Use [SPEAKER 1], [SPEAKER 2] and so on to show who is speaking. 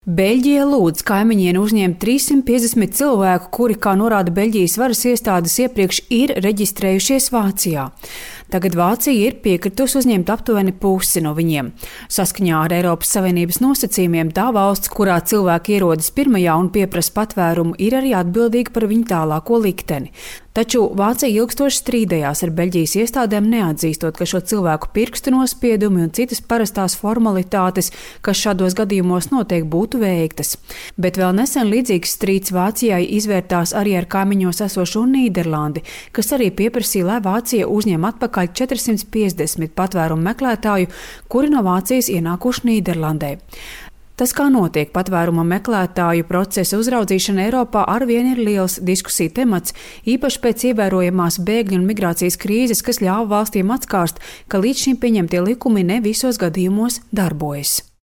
[SPEAKER 1] Beļģija lūdz kaimiņiem uzņemt 350 cilvēku, kuri, kā norāda Beļģijas varas iestādes, iepriekš ir reģistrējušies Vācijā. Tagad Vācija ir piekritusi uzņemt aptuveni pusi no viņiem. Saskaņā ar Eiropas Savienības nosacījumiem tā valsts, kurā cilvēki ierodas pirmajā un pieprasa patvērumu, ir arī atbildīga par viņu tālāko likteni. Taču Vācija ilgstoši strīdējās ar Beļģijas iestādēm, neatzīstot, ka šo cilvēku pirkstu nospiedumi un citas parastās formalitātes, kas šādos gadījumos notiek, būtu veiktas. Bet vēl nesen līdzīgs strīds Vācijai izvērtās arī ar kaimiņos esošo Nīderlandi, kas arī pieprasīja, lai Vācija uzņem atpakaļ 450 patvērumu meklētāju, kuri no Vācijas ienākuši Nīderlandē. Tas, kā notiek patvēruma meklētāju procesa uzraudzīšana Eiropā, arvien ir liels diskusiju temats, īpaši pēc ievērojamās bēgļu un migrācijas krīzes, kas ļāva valstīm atskārst, ka līdz šim pieņemtie likumi ne visos gadījumos darbojas.